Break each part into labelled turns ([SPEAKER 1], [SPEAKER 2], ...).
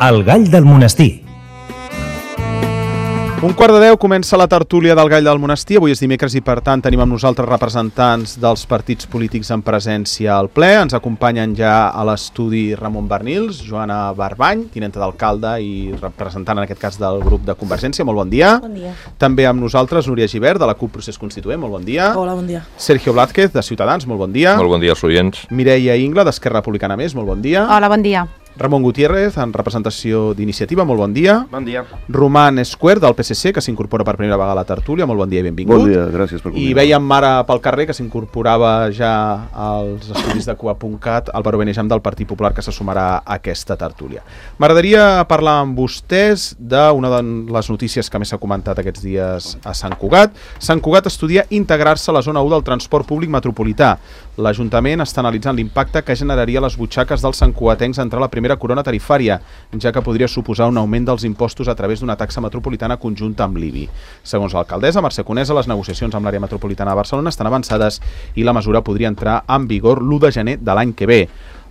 [SPEAKER 1] El Gall del Monestir.
[SPEAKER 2] 11:45 comença la tertúlia del Gall del Monestir. Avui és dimecres i, per tant, tenim amb nosaltres representants dels partits polítics en presència al ple. Ens acompanyen ja a l'estudi Ramon Barnils, Joana Barbany, tinenta d'alcalde i representant, en aquest cas, del grup de Convergència. Molt bon dia.
[SPEAKER 3] Bon dia.
[SPEAKER 2] També amb nosaltres Núria Gibert, de la CUP Procés Constituent. Molt bon dia.
[SPEAKER 3] Hola, bon dia.
[SPEAKER 2] Sergio Blázquez, de Ciutadans. Molt bon dia.
[SPEAKER 4] Molt bon dia als oients.
[SPEAKER 2] Mireia Ingla, d'Esquerra Republicana Més. Molt bon dia.
[SPEAKER 5] Hola, bon dia.
[SPEAKER 2] Ramon Gutiérrez, en representació d'Iniciativa. Molt bon dia.
[SPEAKER 6] Bon dia.
[SPEAKER 2] Roman Esquer, del PSC, que s'incorpora per primera vegada a la tertúlia. Molt bon dia i benvingut.
[SPEAKER 6] Bon dia, gràcies per convidar.
[SPEAKER 2] I veiem ara pel carrer que s'incorporava ja als estudis de Cuba.cat Álvaro Benejam, del Partit Popular, que se sumarà a aquesta tertúlia. M'agradaria parlar amb vostès d'una de les notícies que més s'ha comentat aquests dies a Sant Cugat. Sant Cugat estudia integrar-se a la zona 1 del transport públic metropolità. L'Ajuntament està analitzant l'impacte que generaria les butxaques dels santcugatencs entrar a la primera corona tarifària, ja que podria suposar un augment dels impostos a través d'una taxa metropolitana conjunta amb l'IBI. Segons l'alcaldessa Mercè Conesa, les negociacions amb l'àrea metropolitana de Barcelona estan avançades i la mesura podria entrar en vigor l'1 de gener de l'any que ve.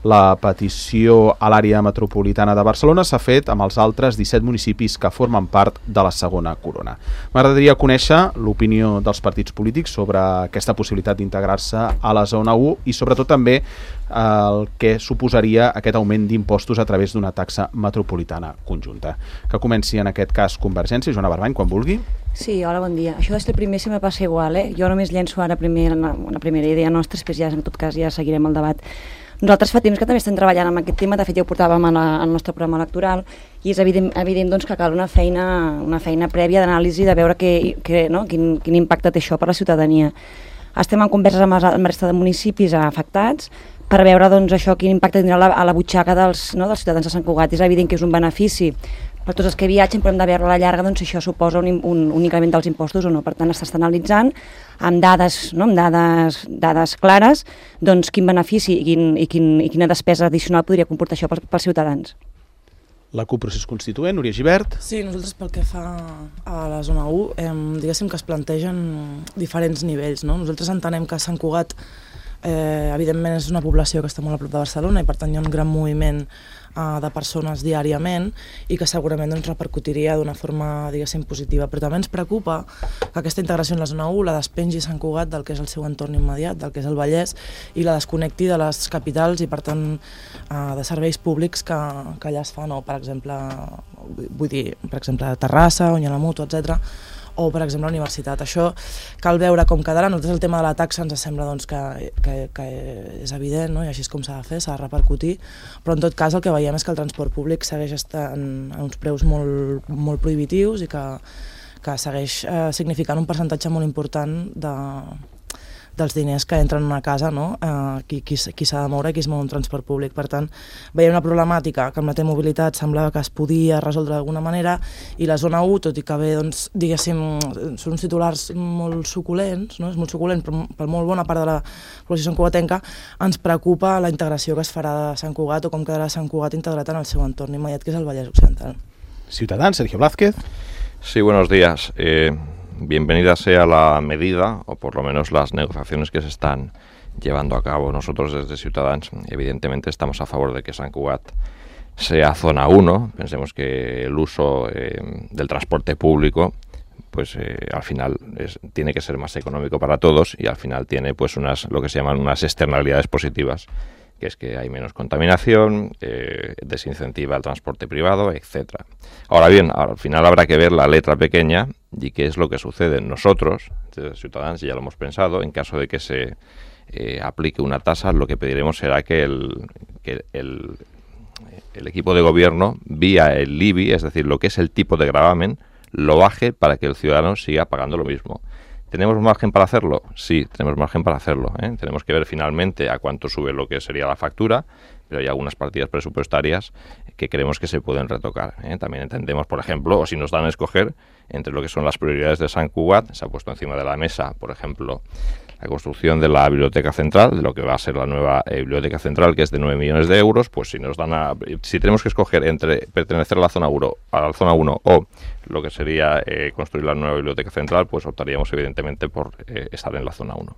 [SPEAKER 2] La petició a l'àrea metropolitana de Barcelona s'ha fet amb els altres 17 municipis que formen part de la segona corona. M'agradaria conèixer l'opinió dels partits polítics sobre aquesta possibilitat d'integrar-se a la zona 1 i sobretot també el que suposaria aquest augment d'impostos a través d'una taxa metropolitana conjunta. Que comenci en aquest cas Convergència. Joana Barbany, quan vulgui.
[SPEAKER 3] Sí, hola, bon dia. Això és el primer, si me passa igual, Jo només llenço ara una primera idea nostra, després ja, en tot cas, ja seguirem el debat. Nosaltres fa temps que també estem treballant amb aquest tema, de fet ja ho portàvem al nostre programa electoral i és evident doncs, que cal una feina prèvia d'anàlisi de veure quin impacte té això per la ciutadania. Estem en converses amb la resta de municipis afectats per veure doncs, això quin impacte tindrà a la butxaca dels ciutadans de Sant Cugat. És evident que és un benefici per tots els que viatgen, però hem de veure a la llarga doncs, si això suposa un increment dels impostos o no. Per tant, s'està analitzant amb dades, dades clares doncs, quin benefici i quina despesa addicional podria comportar això pels ciutadans.
[SPEAKER 2] La CUP Procés Constituent, Núria Gibert.
[SPEAKER 7] Sí, nosaltres pel que fa a la zona 1, diguéssim que es plantegen diferents nivells. Nosaltres entenem que Sant Cugat evidentment és una població que està molt a prop de Barcelona i per tant hi ha un gran moviment de persones diàriament i que segurament repercutiria d'una forma, diguéssim, positiva. Però també ens preocupa que aquesta integració en la zona 1 la despengi Sant Cugat del que és el seu entorn immediat, del que és el Vallès, i la desconnecti de les capitals i, per tant, de serveis públics que allà es fan, per exemple, Terrassa, on hi ha la Mutua, etc., o, per exemple, la universitat. Això cal veure com quedarà. Nosaltres el tema de la taxa ens sembla doncs, que és evident, i així és com s'ha de fer, s'ha de repercutir, però en tot cas el que veiem és que el transport públic segueix estant a uns preus molt, molt prohibitius i que segueix significant un percentatge molt important dels diners que entren en una casa, qui s'ha de moure i qui es mou en transport públic. Per tant, veiem una problemàtica que amb la T-mobilitat semblava que es podia resoldre d'alguna manera i la zona 1, tot i que bé, doncs, diguéssim, són uns titulars molt suculents, és molt suculent, però per molt bona part de la població santcugatenca ens preocupa la integració que es farà de Sant Cugat o com quedarà Sant Cugat integrat en el seu entorn immediat, que és el Vallès Occidental.
[SPEAKER 2] Ciutadans, Sergio Blázquez.
[SPEAKER 4] Sí, buenos días. Bienvenida sea la medida, o por lo menos las negociaciones que se están llevando a cabo. Nosotros desde Ciutadans, evidentemente, estamos a favor de que Sant Cugat sea zona 1. Pensemos que el uso del transporte público, pues al final tiene que ser más económico para todos y al final tiene pues lo que se llaman unas externalidades positivas, que es que hay menos contaminación, desincentiva el transporte privado, etcétera. Ahora bien, al final habrá que ver la letra pequeña y qué es lo que sucede. Nosotros, desde Ciutadans, ya lo hemos pensado, en caso de que se aplique una tasa, lo que pediremos será que el equipo de gobierno, vía el IBI, es decir, lo que es el tipo de gravamen, lo baje para que el ciudadano siga pagando lo mismo. ¿Tenemos margen para hacerlo? Sí, tenemos margen para hacerlo. Tenemos que ver finalmente a cuánto sube lo que sería la factura, pero hay algunas partidas presupuestarias que creemos que se pueden retocar. También entendemos, por ejemplo, o si nos dan a escoger entre lo que son las prioridades de Sant Cugat, se ha puesto encima de la mesa, por ejemplo, la construcción de la biblioteca central, de lo que va a ser la nueva biblioteca central, que es de 9 millones de euros, pues si tenemos que escoger entre pertenecer a la zona 1 o lo que sería construir la nueva biblioteca central, pues optaríamos evidentemente por estar en la zona 1.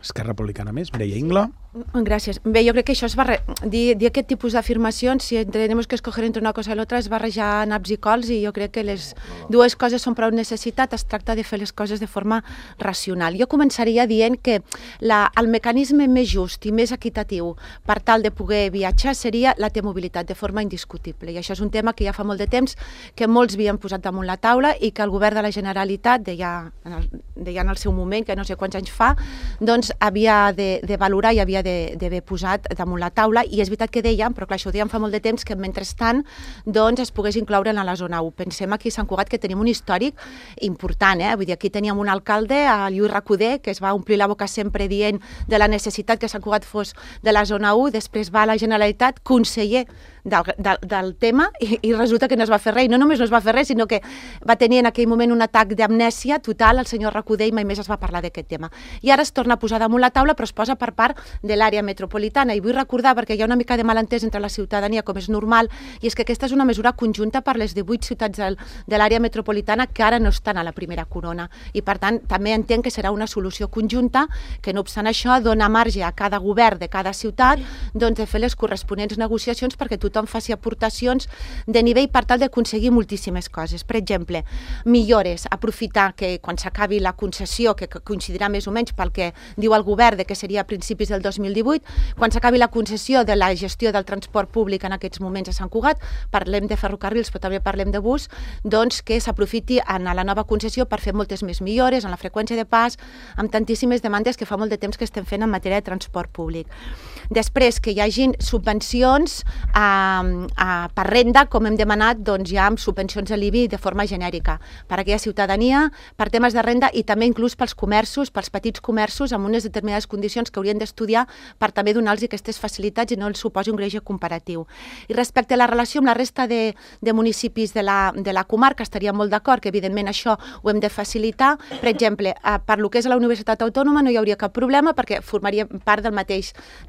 [SPEAKER 2] Esquerra Republicana més, Mireia Ingla.
[SPEAKER 1] Gràcies. Bé, jo crec que això es va... Dir aquest tipus d'afirmacions, si tenemos que escoger entre una cosa i l'altra, és barrejar naps i cols, i jo crec que les dues coses són prou necessitat, es tracta de fer les coses de forma racional. Jo començaria dient que el mecanisme més just i més equitatiu per tal de poder viatjar seria la T-mobilitat, de forma indiscutible. I això és un tema que ja fa molt de temps que molts havien posat damunt la taula i que el govern de la Generalitat, deia en el seu moment, que no sé quants anys fa, doncs havia de valorar i havia d'haver posat damunt la taula, i és veritat que dèiem, però clar, això ho dèiem fa molt de temps, que mentrestant doncs es pogués incloure en la zona 1. Pensem aquí a Sant Cugat que tenim un històric important, vull dir, aquí teníem un alcalde, el Lluís Recoder, que es va omplir la boca sempre dient de la necessitat que Sant Cugat fos de la zona 1, després va a la Generalitat, conseller del tema, i resulta que no es va fer res, i no només no es va fer res, sinó que va tenir en aquell moment un atac d'amnèsia total el senyor Recoder, i mai més es va parlar d'aquest tema. I ara es torna a posar damunt la taula, però es posa per part de l'àrea metropolitana, i vull recordar, perquè hi ha una mica de malentès entre la ciutadania, com és normal, i és que aquesta és una mesura conjunta per les 18 ciutats de l'àrea metropolitana que ara no estan a la primera corona, i per tant també entenc que serà una solució conjunta, que no obstant això dona marge a cada govern de cada ciutat doncs, de fer les corresponents negociacions perquè tothom faci aportacions de nivell per tal d'aconseguir moltíssimes coses. Per exemple, millores, aprofitar que quan s'acabi la concessió, que coincidirà més o menys pel que diu el govern, que seria a principis del 2018, quan s'acabi la concessió de la gestió del transport públic en aquests moments a Sant Cugat, parlem de ferrocarrils però també parlem de bus, doncs que s'aprofiti en la nova concessió per fer moltes més millores en la freqüència de pas, amb tantíssimes demandes que fa molt de temps que estem fent en matèria de transport públic. Després, que hi hagin subvencions per renda, com hem demanat, doncs ja amb subvencions de l'IBI de forma genèrica, per a aquella ciutadania, per temes de renda i també inclús pels comerços, pels petits comerços, amb unes determinades condicions que haurien d'estudiar per també donar-los aquestes facilitats i no els suposi un greuge comparatiu. I respecte a la relació amb la resta de municipis de la comarca, estaria molt d'acord que evidentment això ho hem de facilitar. Per exemple, per lo que és la Universitat Autònoma no hi hauria cap problema perquè formaria part de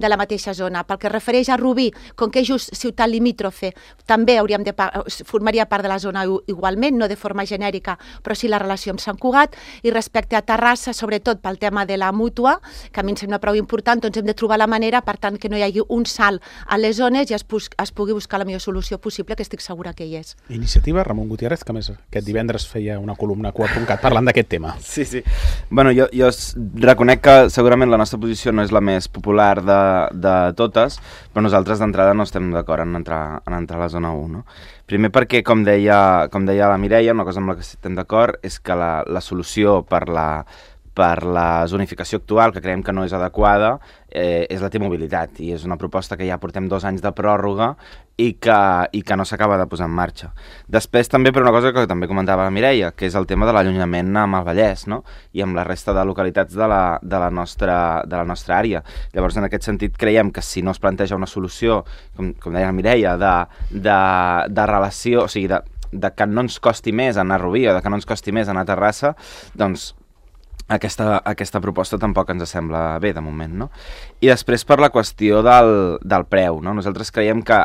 [SPEAKER 1] la mateixa zona. Pel que refereix a Rubí, com que és just ciutat limítrofe, també formaria part de la zona igualment, no de forma genèrica, però sí la relació amb Sant Cugat. I respecte a Terrassa, sobretot pel tema de la mútua, que a mi em sembla prou important, doncs hem de trobar la manera, per tant, que no hi hagi un salt a les zones i es pugui buscar la millor solució possible, que estic segura que hi és.
[SPEAKER 2] Iniciativa, Ramon Gutiérrez, que més aquest divendres feia una columna a Cugat parlant d'aquest tema.
[SPEAKER 5] Sí. Bueno, jo reconec que segurament la nostra posició no és la més popular de totes, però nosaltres d'entrada no estem d'acord en entrar a la zona 1, no? Primer perquè, com deia la Mireia, una cosa amb la que estem d'acord és que la solució per la zonificació actual, que creiem que no és adequada, és la T-mobilitat, i és una proposta que ja portem 2 anys de pròrroga i que no s'acaba de posar en marxa. Després també per una cosa que també comentava la Mireia, que és el tema de l'allunyament amb el Vallès, no? I amb la resta de localitats de la nostra àrea. Llavors, en aquest sentit, creiem que si no es planteja una solució, com deia la Mireia, de relació, o sigui, de que no ens costi més anar a Rubí o de que no ens costi més anar a Terrassa, doncs aquesta proposta tampoc ens sembla bé de moment, no? I després per la qüestió del preu, no? Nosaltres creiem que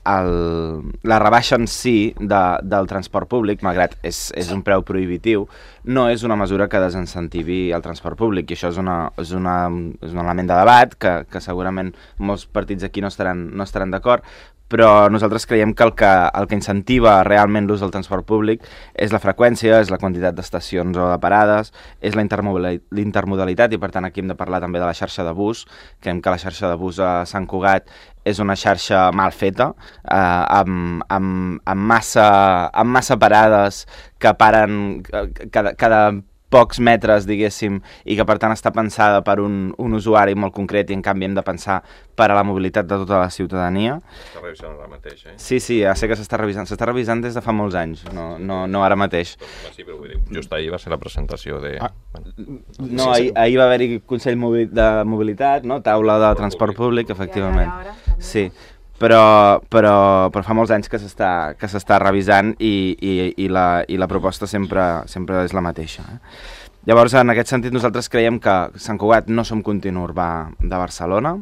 [SPEAKER 5] la rebaixa en si del transport públic, malgrat és un preu prohibitiu, no és una mesura que desincentivi el transport públic, i això és un element de debat que segurament molts partits aquí no estaran d'acord, però nosaltres creiem que el que incentiva realment l'ús del transport públic és la freqüència, és la quantitat d'estacions o de parades, és la intermodalitat, i per tant aquí hem de parlar també de la xarxa de bus. Creiem que la xarxa de bus a Sant Cugat és una xarxa mal feta, amb massa parades que paren cada pocs metres, diguéssim, i que per tant està pensada per un usuari molt concret, i en canvi hem de pensar per a la mobilitat de tota la ciutadania.
[SPEAKER 4] Està revisant ara mateix, eh?
[SPEAKER 5] Sí, ja sé que s'està revisant des de fa molts anys, no ara mateix.
[SPEAKER 4] Sí, però vull dir, just ahir va ser la presentació de...
[SPEAKER 5] No, ahir va haver-hi Consell de Mobilitat, no? Taula de transport públic, efectivament. Sí, però fa molts anys que s'està revisant i la proposta sempre és la mateixa. Llavors, en aquest sentit, nosaltres creiem que Sant Cugat no som continu urbà de Barcelona,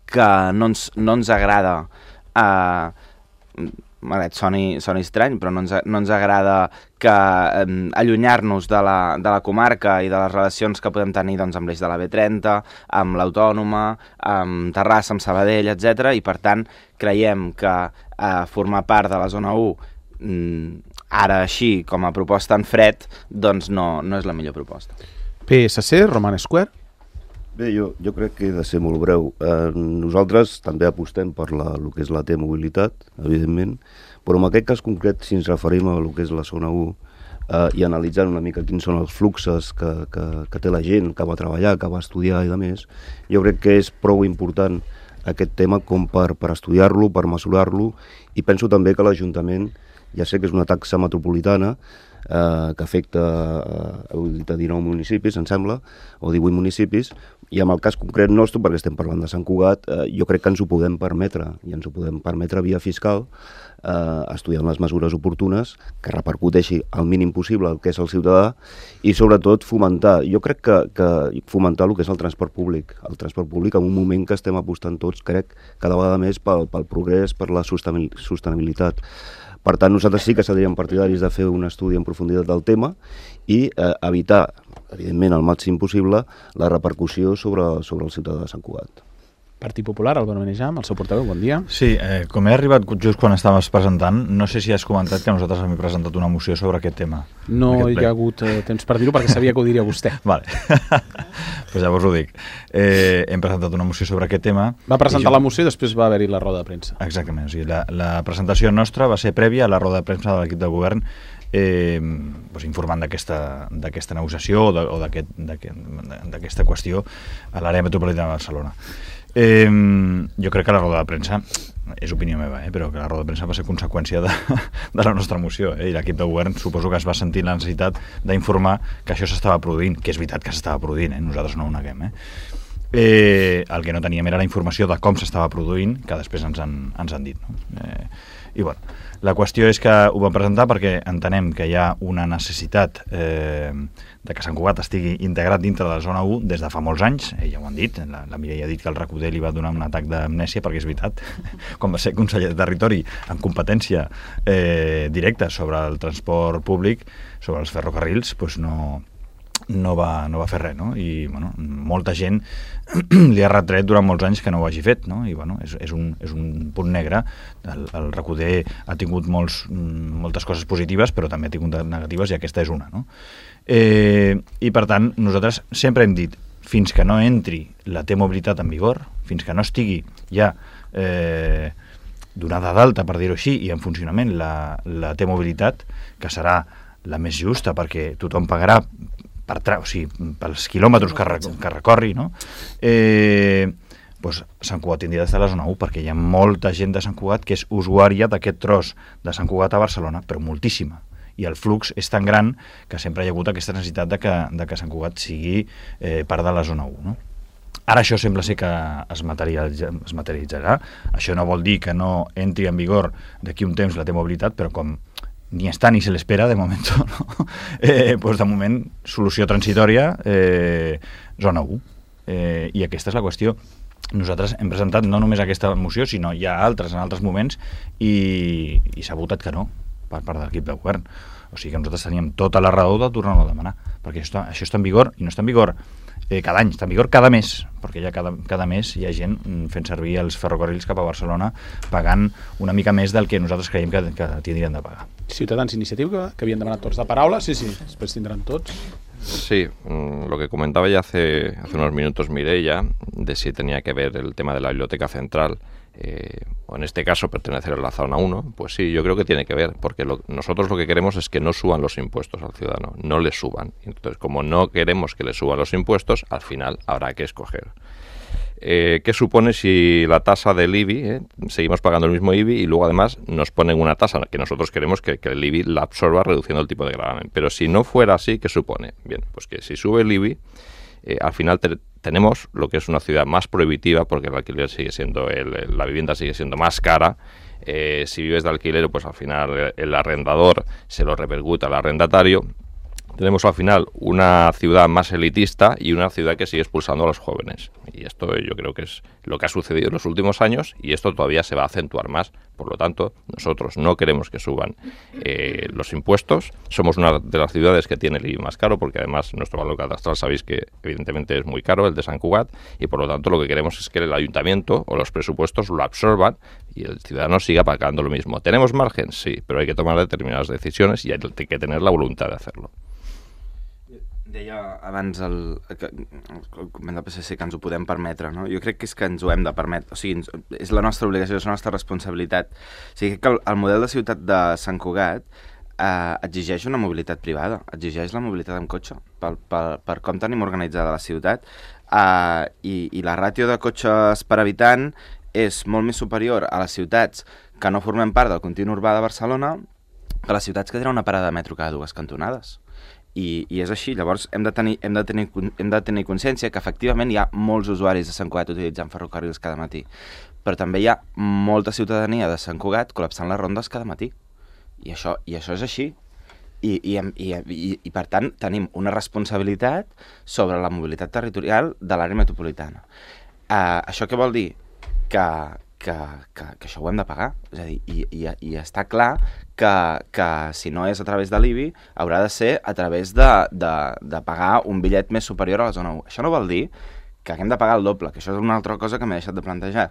[SPEAKER 5] que no ens agrada malgrat soni estrany, però no ens agrada que allunyar-nos de la comarca i de les relacions que podem tenir doncs, amb l'eix de la B30, amb l'Autònoma, amb Terrassa, amb Sabadell, etc. I per tant creiem que formar part de la zona 1 ara així, com a proposta en fred, doncs no és la millor proposta.
[SPEAKER 2] PSC, Roman Square.
[SPEAKER 6] Bé, jo crec que he de ser molt breu. Nosaltres també apostem per el que és la T-mobilitat, evidentment, però en aquest cas concret, si ens referim a el que és la zona 1 i analitzant una mica quins són els fluxes que té la gent que va treballar, que va estudiar i demés, jo crec que és prou important aquest tema com per estudiar-lo, per mesurar-lo, i penso també que l'Ajuntament, ja sé que és una taxa metropolitana, que afecta 19 municipis, em sembla, o 18 municipis, i en el cas concret nostre, perquè estem parlant de Sant Cugat, jo crec que ens ho podem permetre, i ens ho podem permetre via fiscal, estudiant les mesures oportunes, que repercuteixi al mínim possible el que és el ciutadà, i sobretot fomentar, jo crec que fomentar el que és el transport públic en un moment que estem apostant tots, crec, cada vegada més pel progrés, per la sostenibilitat. Per tant, nosaltres sí que seríem partidaris de fer un estudi en profunditat del tema i evitar, evidentment, al màxim possible, la repercussió sobre el ciutadà de Sant Cugat.
[SPEAKER 2] Partit Popular, Álvaro Benejam, el seu portaveu, bon dia.
[SPEAKER 8] Sí, com he arribat just quan estaves presentant, no sé si has comentat que nosaltres hem presentat una moció sobre aquest tema.
[SPEAKER 2] No hi ha hagut temps per dir-ho perquè sabia que ho diria vostè.
[SPEAKER 8] Vale. Pues llavors ho dic. Hem presentat una moció sobre aquest tema.
[SPEAKER 2] Va presentar la moció i després va haver-hi la roda de premsa.
[SPEAKER 8] Exactament, o sigui, la presentació nostra va ser prèvia a la roda de premsa de l'equip de govern informant d'aquesta negociació o d'aquesta qüestió a l'àrea metropolitana de Barcelona. Jo crec que la roda de premsa, és opinió meva, però que la roda de premsa va ser conseqüència de la nostra moció, i l'equip de govern suposo que es va sentir la necessitat d'informar que això s'estava produint, que és veritat que s'estava produint, nosaltres no ho neguem. El que no teníem era la informació de com s'estava produint, que després ens han dit. I bueno, la qüestió és que ho vam presentar perquè entenem que hi ha una necessitat de que Sant Cugat estigui integrat dintre de la zona 1 des de fa molts anys, ja ho han dit, la Mireia ha dit que el RAC1 li va donar un atac d'amnèsia, perquè és veritat, quan va ser conseller de Territori amb competència directa sobre el transport públic, sobre els ferrocarrils, doncs no va fer res, no? I bueno, molta gent li ha retret durant molts anys que no ho hagi fet, no? I bueno, és un punt negre. El RAC1 ha tingut moltes coses positives, però també ha tingut negatives, i aquesta és una, no? I per tant, nosaltres sempre hem dit, fins que no entri la T-mobilitat en vigor, fins que no estigui ja donada d'alta, per dir-ho així, i en funcionament la T-mobilitat, que serà la més justa perquè tothom pagarà pels quilòmetres que recorri, no? Doncs Sant Cugat tindria d'estar a la zona 1, perquè hi ha molta gent de Sant Cugat que és usuària d'aquest tros de Sant Cugat a Barcelona, però moltíssima. I el flux és tan gran que sempre hi ha hagut aquesta necessitat de que Sant Cugat sigui part de la zona 1, no? Ara això sembla ser que es materialitzarà. Això no vol dir que no entri en vigor d'aquí un temps la T-mobilitat, però com ni està ni se l'espera de moment, no? Doncs de moment, solució transitòria, zona 1. I aquesta és la qüestió. Nosaltres hem presentat no només aquesta moció, sinó hi ha altres en altres moments, i s'ha votat que no per part de l'equip de govern. O sigui que nosaltres teníem tota la raó de tornar-ho a demanar, perquè això està en vigor, i no està en vigor cada any, està en vigor cada mes, perquè ja cada mes hi ha gent fent servir els ferrocarrils cap a Barcelona pagant una mica més del que nosaltres creiem que tindrien de pagar.
[SPEAKER 2] Ciutadans Iniciativa, que havien demanat tots de paraula, sí, després tindran tots.
[SPEAKER 4] Sí, lo que comentaba ya hace unos minutos Mireia, de si tenía que ver el tema de la biblioteca central, o en este caso pertenecer a la zona 1, pues sí, yo creo que tiene que ver, porque nosotros lo que queremos es que no suban los impuestos al ciudadano, no le suban. Entonces, como no queremos que le suban los impuestos, al final habrá que escoger. ¿Qué supone si la tasa del IBI, seguimos pagando el mismo IBI y luego además nos ponen una tasa que nosotros queremos que el IBI la absorba reduciendo el tipo de gravamen? Pero si no fuera así, ¿qué supone? Bien, pues que si sube el IBI, al final tenemos lo que es una ciudad más prohibitiva, porque el alquiler sigue siendo, la vivienda sigue siendo más cara. Si vives de alquiler, pues al final el arrendador se lo repercute al arrendatario. tenemos al final una ciudad más elitista y una ciudad que sigue expulsando a los jóvenes. Y esto yo creo que es lo que ha sucedido en los últimos años y esto todavía se va a acentuar más. Por lo tanto, nosotros no queremos que suban los impuestos. Somos una de las ciudades que tiene el IBI más caro porque además nuestro valor catastral sabéis que evidentemente es muy caro, el de Sant Cugat, y por lo tanto lo que queremos es que el ayuntamiento o los presupuestos lo absorban y el ciudadano siga pagando lo mismo. ¿Tenemos margen? Sí, pero hay que tomar determinadas decisiones y hay que tener la voluntad de hacerlo.
[SPEAKER 5] Deia abans el document del PSC que ens ho podem permetre, no? Jo crec que és que ens ho hem de permetre, o sigui, és la nostra obligació, és la nostra responsabilitat. O sigui, que el model de ciutat de Sant Cugat exigeix una mobilitat privada, exigeix la mobilitat amb cotxe, per com tenim organitzada la ciutat, i la ràtio de cotxes per habitant és molt més superior a les ciutats que no formem part del continu urbà de Barcelona que les ciutats que tenen una parada de metro cada 2 cantonades. I és així, llavors hem de tenir consciència que efectivament hi ha molts usuaris de Sant Cugat utilitzant ferrocarrils cada matí, però també hi ha molta ciutadania de Sant Cugat col·lapsant les rondes cada matí, i això és així, i per tant tenim una responsabilitat sobre la mobilitat territorial de l'àrea metropolitana. Això què vol dir? Que això ho hem de pagar, és a dir, i està clar que si no és a través de l'IBI haurà de ser a través de pagar un bitllet més superior a la zona 1. Això no vol dir que haguem de pagar el doble, que això és una altra cosa que m'he deixat de plantejar,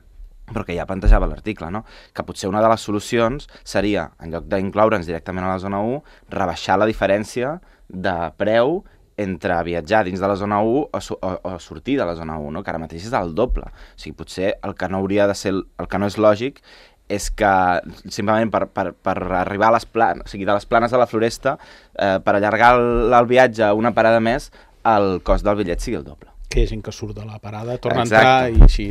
[SPEAKER 5] però que ja plantejava l'article, no? Que potser una de les solucions seria, en lloc d'incloure'ns directament a la zona 1, rebaixar la diferència de preu entre viatjar dins de la zona 1 o sortir de la zona 1, no? Que ara mateix és el doble. O sigui, potser el que no hauria de ser, el que no és lògic és que simplement per arribar a les planes, o sigui, de les planes a la Floresta, per allargar el viatge una parada més, el cost del bitllet sigui el doble.
[SPEAKER 2] Que hi ha gent que surt de la parada, torna a entrar i així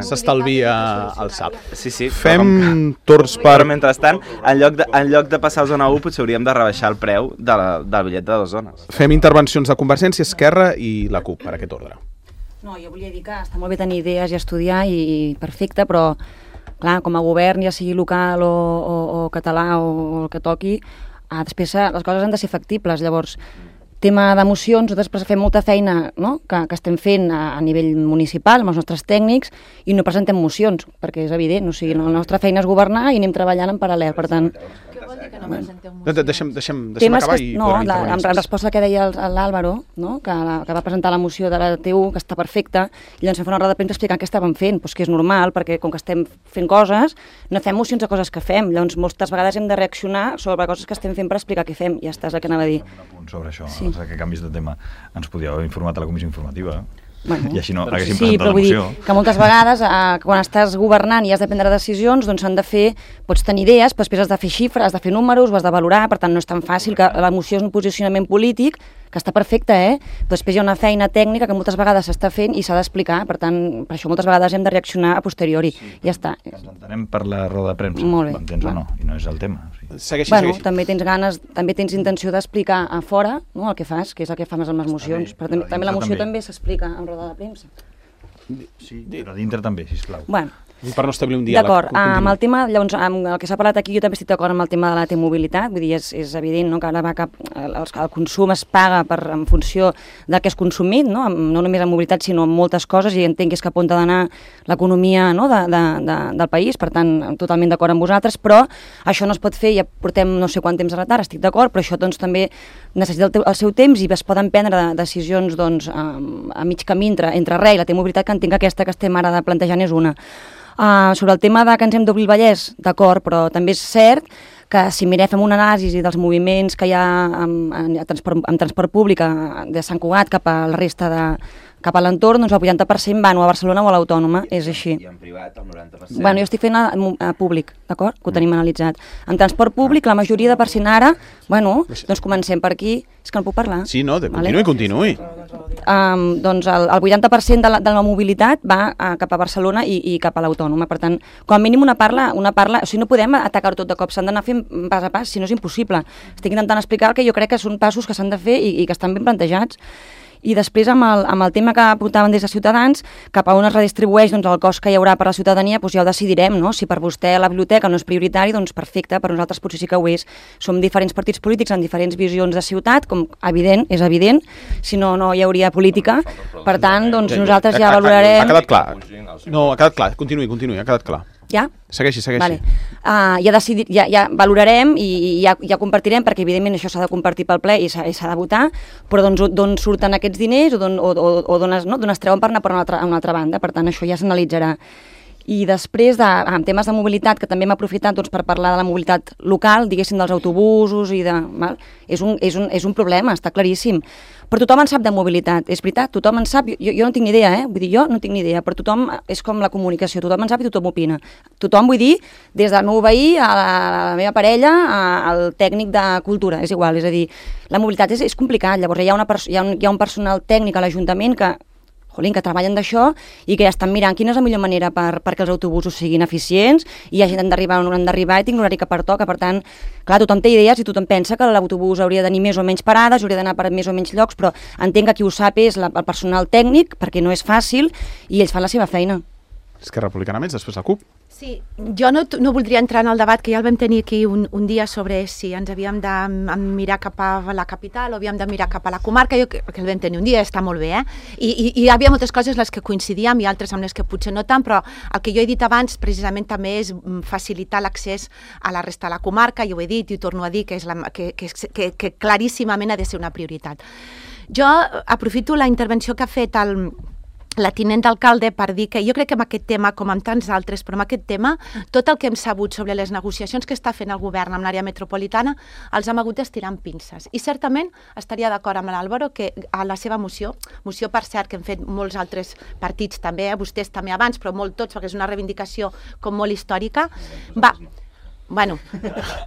[SPEAKER 2] s'estalvia el salt.
[SPEAKER 5] Sí.
[SPEAKER 2] Fem torns per...
[SPEAKER 5] Però mentrestant, en lloc de passar a zona 1, potser hauríem de rebaixar el preu del bitllet de 2 zones.
[SPEAKER 2] Fem intervencions de Convergència, Esquerra i la CUP, per aquest ordre.
[SPEAKER 3] No, jo volia dir que està molt bé tenir idees i estudiar i perfecte, però clar, com a govern, ja sigui local o català o el que toqui, després les coses han de ser factibles. Llavors, tema d'emocions, nosaltres fem molta feina, no? que estem fent a nivell municipal amb els nostres tècnics i no presentem mocions, perquè és evident, o sigui, la nostra feina és governar i anem treballant en paral·lel, per tant...
[SPEAKER 1] Què vol dir que no presenteu mocions?
[SPEAKER 2] Deixem acabar i podrem intervenir.
[SPEAKER 3] En resposta al que deia l'Àlvaro, no? que va presentar la moció de la TU, que està perfecta, i llavors vam fer una roda de premsa explicant què estàvem fent, doncs que és normal, perquè com que estem fent coses, no fem mocions de coses que fem, llavors moltes vegades hem de reaccionar sobre coses que estem fent per explicar què fem, ja està, és el que anava a dir.
[SPEAKER 8] Un apunt sobre això, sí. Que canvis de tema ens podíeu haver informat a la comissió informativa.
[SPEAKER 3] Bueno,
[SPEAKER 8] i així no haguéssim presentat la moció.
[SPEAKER 3] Sí, però vull dir que moltes vegades quan estàs governant i has de prendre decisions, doncs s'han de fer, pots tenir idees, però després has de fer xifres, has de fer números, ho has de valorar, per tant no és tan fàcil que la moció és un posicionament polític, que està perfecte, però després hi ha una feina tècnica que moltes vegades s'està fent i s'ha d'explicar, per tant, per això moltes vegades hem de reaccionar a posteriori, ja està.
[SPEAKER 8] Ens entenem per la roda de premsa, m'entens o no, i no és el tema.
[SPEAKER 2] Segueixi.
[SPEAKER 3] També tens ganes, també tens intenció d'explicar a fora, no, el que fas, que és el que fas amb les mocions, però també la moció també s'explica en roda de premsa.
[SPEAKER 8] Sí, però dintre també, sisplau.
[SPEAKER 3] Bueno,
[SPEAKER 2] per no establir un diàleg.
[SPEAKER 3] D'acord, amb el tema, llavors, amb el que s'ha parlat aquí, jo també estic d'acord amb el tema de la T-mobilitat, vull dir, és evident, no?, que ara el consum es paga en funció del que és consumit, no només en mobilitat, sinó en moltes coses, i entenc que és cap on ha d'anar l'economia, no?, del país, per tant, totalment d'acord amb vosaltres, però això no es pot fer, ja portem no sé quant temps de retard, estic d'acord, però això doncs també necessita el seu temps i es poden prendre decisions doncs, a mig camí entre res i la T-mobilitat, que entenc que aquesta que estem ara plantejant és una. Sobre el tema que ens hem d'obrir el Vallès, d'acord, però també és cert que si fem una anàlisi dels moviments que hi ha en transport públic de Sant Cugat cap a la resta cap a l'entorn, doncs el 80% van o a Barcelona o a l'Autònoma, és així.
[SPEAKER 5] I en privat el 90%.
[SPEAKER 3] Bueno, jo estic fent a públic, d'acord? Que ho tenim analitzat. En transport públic, la majoria de % ara, bueno, doncs comencem per aquí. És que no puc parlar.
[SPEAKER 2] Sí, no, continuï.
[SPEAKER 3] Doncs el 80% de la mobilitat va cap a Barcelona i cap a l'Autònoma. Per tant, com a mínim una parla, o sigui, no podem atacar tot de cop, s'han d'anar fent pas a pas, si no és impossible. Estic intentant explicar que jo crec que són passos que s'han de fer i que estan ben plantejats. I després, amb el tema que apuntaven des de Ciutadans, cap a on es redistribueix el cost que hi haurà per a la ciutadania, doncs ja ho decidirem, no? Si per vostè la biblioteca no és prioritari, doncs perfecte, per nosaltres potser sí que ho és. Som diferents partits polítics amb diferents visions de ciutat, com és evident, si no, no hi hauria política. Per tant, doncs nosaltres ja valorarem...
[SPEAKER 2] Ha quedat clar. No, ha quedat clar. Continuï, ha quedat clar.
[SPEAKER 3] Ja?
[SPEAKER 2] Segueixi.
[SPEAKER 3] Vale. Ja valorarem i ja compartirem, perquè evidentment això s'ha de compartir pel ple i s'ha de votar, però d'on surten aquests diners o d'on es treuen per anar a una altra banda. Per tant, això ja s'analitzarà. I després, en temes de mobilitat, que també hem aprofitat per parlar de la mobilitat local, diguéssim, dels autobusos i de... És un problema, està claríssim. Però tothom en sap de mobilitat, és veritat, tothom en sap, jo no tinc ni idea, vull dir, jo no tinc ni idea, però tothom és com la comunicació, tothom en sap i tothom opina. Tothom, vull dir, des del meu veí a la meva parella, al tècnic de cultura, és igual, és a dir, la mobilitat és complicat, llavors hi ha un personal tècnic a l'Ajuntament que treballen d'això i que ja estan mirant quina és la millor manera perquè els autobusos siguin eficients i hi hagi gent d'arribar on han d'arribar i tinc l'horari que pertoca. Per tant, clar, tothom té idees i tothom pensa que l'autobús hauria de tenir més o menys parades, hauria d'anar per més o menys llocs, però entenc que qui ho sap és el personal tècnic, perquè no és fàcil, i ells fan la seva feina.
[SPEAKER 2] Esquerra Republicana més, després la CUP.
[SPEAKER 1] Sí, jo no voldria entrar en el debat que ja el vam tenir aquí un dia sobre si ens havíem de mirar cap a la capital o havíem de mirar cap a la comarca, que el vam tenir un dia, està molt bé, I hi havia moltes coses les que coincidíem i altres amb les que potser no tant, però el que jo he dit abans precisament també és facilitar l'accés a la resta de la comarca, i ho he dit i ho torno a dir, que claríssimament ha de ser una prioritat. Jo aprofito la intervenció que ha fet la tinent d'alcalde per dir que jo crec que amb aquest tema, com amb tants altres, però amb aquest tema, tot el que hem sabut sobre les negociacions que està fent el govern amb l'àrea metropolitana els hem hagut d'estirar amb pinces. I certament estaria d'acord amb l'Àlvaro que a la seva moció per cert que hem fet molts altres partits també, vostès també abans, però molt tots, perquè és una reivindicació com molt històrica, Bueno,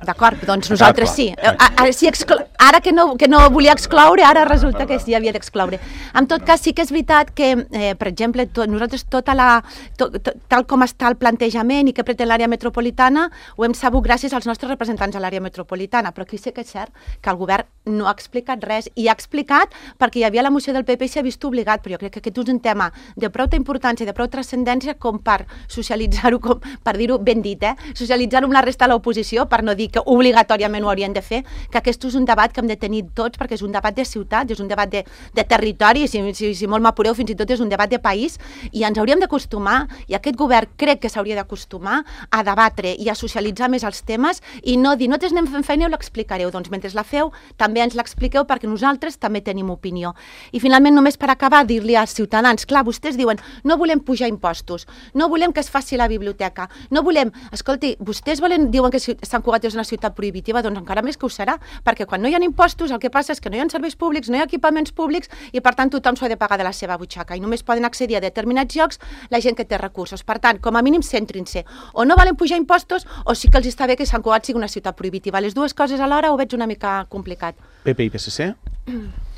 [SPEAKER 1] d'acord, doncs nosaltres sí. Ara que no volia excloure, ara resulta que sí havia d'excloure. En tot cas, sí que és veritat que, per exemple, nosaltres tal com està el plantejament i que pretén l'àrea metropolitana, ho hem sabut gràcies als nostres representants a l'àrea metropolitana, però aquí sí que és cert que el govern no ha explicat res, i ha explicat perquè hi havia la moció del PP i s'ha vist obligat, però jo crec que aquest és un tema de prou importància i de prou transcendència com per socialitzar-ho, per dir-ho ben dit, socialitzar-ho amb la resta de l'oposició, per no dir que obligatòriament ho haurien de fer, que aquest és un debat que hem de tenir tots, perquè és un debat de ciutats, és un debat de territori, si molt m'apureu, fins i tot és un debat de país, i ens hauríem d'acostumar, i aquest govern crec que s'hauria d'acostumar a debatre i a socialitzar més els temes i no dir, nosaltres anem fent feina i ho l'explicareu, doncs mentre la feu també ens l'expliqueu perquè nosaltres també tenim opinió. I finalment, només per acabar, dir-li als ciutadans, clar, vostès diuen, no volem pujar impostos, no volem que es faci la biblioteca, no volem, escolti, vostès diuen que Sant Cugat és una ciutat prohibitiva, doncs encara més que ho serà, perquè quan no hi ha impostos el que passa és que no hi ha serveis públics, no hi ha equipaments públics i per tant tothom s'ho ha de pagar de la seva butxaca i només poden accedir a determinats llocs la gent que té recursos. Per tant, com a mínim centrin-se, o no volen pujar impostos o sí que els està bé que Sant Cugat sigui una ciutat prohibitiva. Les dues coses alhora ho veig una mica complicat.
[SPEAKER 2] PP i PSC?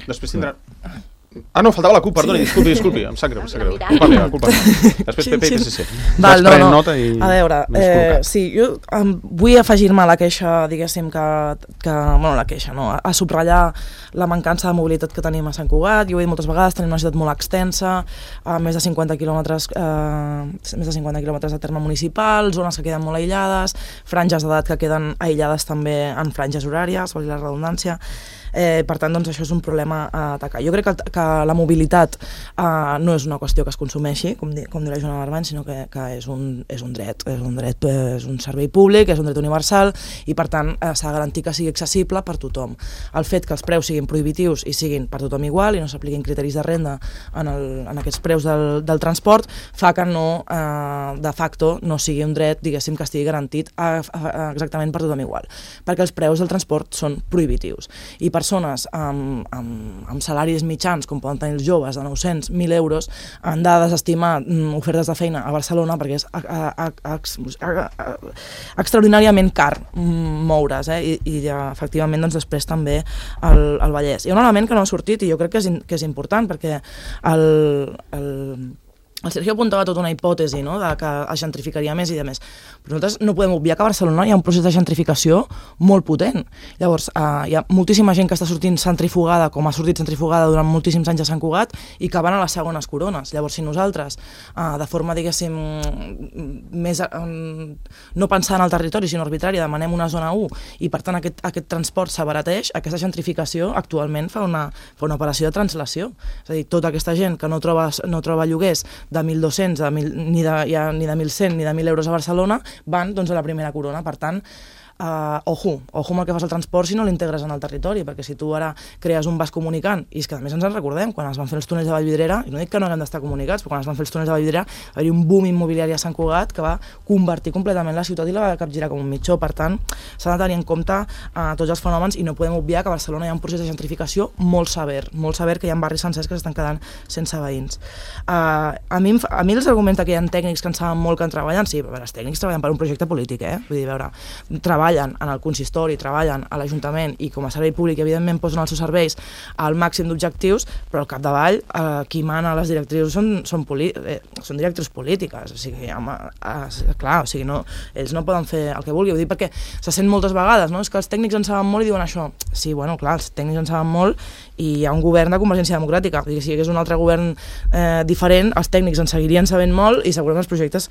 [SPEAKER 2] Després tindran... Ah, no, faltava la CUP, perdoni, disculpi, em sap greu. Culpa meva. Després PP i PSC.
[SPEAKER 7] Val, no. A veure, sí, jo vull afegir-me a la queixa, diguéssim, bueno, la queixa, no, a subratllar la mancança de mobilitat que tenim a Sant Cugat. Jo ho he dit moltes vegades, tenim una ciutat molt extensa, més de 50 quilòmetres de terme municipal, zones que queden molt aïllades, franges d'edat que queden aïllades també en franges horàries, valgui la redundància. Per tant, doncs, això és un problema a atacar. Jo crec que la mobilitat no és una qüestió que es consumeixi, com diu la Joana Barbany, sinó que és un dret, és un servei públic, és un dret universal i, per tant, s'ha de garantir que sigui accessible per tothom. El fet que els preus siguin prohibitius i siguin per tothom igual i no s'apliquin criteris de renda en aquests preus del transport fa que de facto no sigui un dret, diguéssim, que estigui garantit exactament per tothom igual, perquè els preus del transport són prohibitius. I persones amb salaris mitjans, com poden tenir els joves, de 900, 1.000 euros, han de desestimar ofertes de feina a Barcelona perquè és extraordinàriament car moure's, i efectivament doncs, després també el Vallès. Hi ha un element que no ha sortit i jo crec que és important perquè El Sergio apuntava tota una hipòtesi, no?, de que es gentrificaria més i de més. Però nosaltres no podem obviar que a Barcelona hi ha un procés de gentrificació molt potent. Llavors, hi ha moltíssima gent que està sortint centrifugada, com ha sortit centrifugada durant moltíssims anys a Sant Cugat, i que van a les segones corones. Llavors, si nosaltres, de forma, diguéssim, més no pensant en el territori, sinó arbitrària, demanem una zona 1 i, per tant, aquest transport s'abarateix, aquesta gentrificació actualment fa una operació de translació. És a dir, tota aquesta gent que no troba lloguers de 1.200, ni de 1.100, ni de 1.000 euros a Barcelona, van doncs, a la primera corona. Per tant, ojo amb el que fas al transport si no l'integres en el territori, perquè si tu ara crees un vas comunicant, i és que a més ens en recordem, quan es van fer els túnels de Vallvidrera, i no dic que no haguem d'estar comunicats, però quan es van fer els túnels de Vallvidrera va haver-hi un boom immobiliari a Sant Cugat que va convertir completament la ciutat i la va capgirar com un mitjó. Per tant, s'ha de tenir en compte tots els fenòmens i no podem obviar que a Barcelona hi ha un procés de gentrificació molt sever, que hi ha barris sencers que s'estan quedant sense veïns. A mi els arguments que hi ha tècnics que en saben molt que en treballen, sí, però els tècnics treballen per un projecte polític, vull dir, veure, treballen en el consistori, treballen a l'Ajuntament i com a servei públic, evidentment, posen els seus serveis al màxim d'objectius, però al capdavall qui mana les directrius són directrius polítiques. O sigui, clar, o sigui, ells no poden fer el que vulgui. Ho dic perquè se sent moltes vegades, no? És que els tècnics en saben molt i diuen això. Sí, bueno, clar, els tècnics en saben molt i hi ha un govern de Convergència Democràtica. Vull dir, si hi hagués un altre govern diferent, els tècnics en seguirien sabent molt i segurament els projectes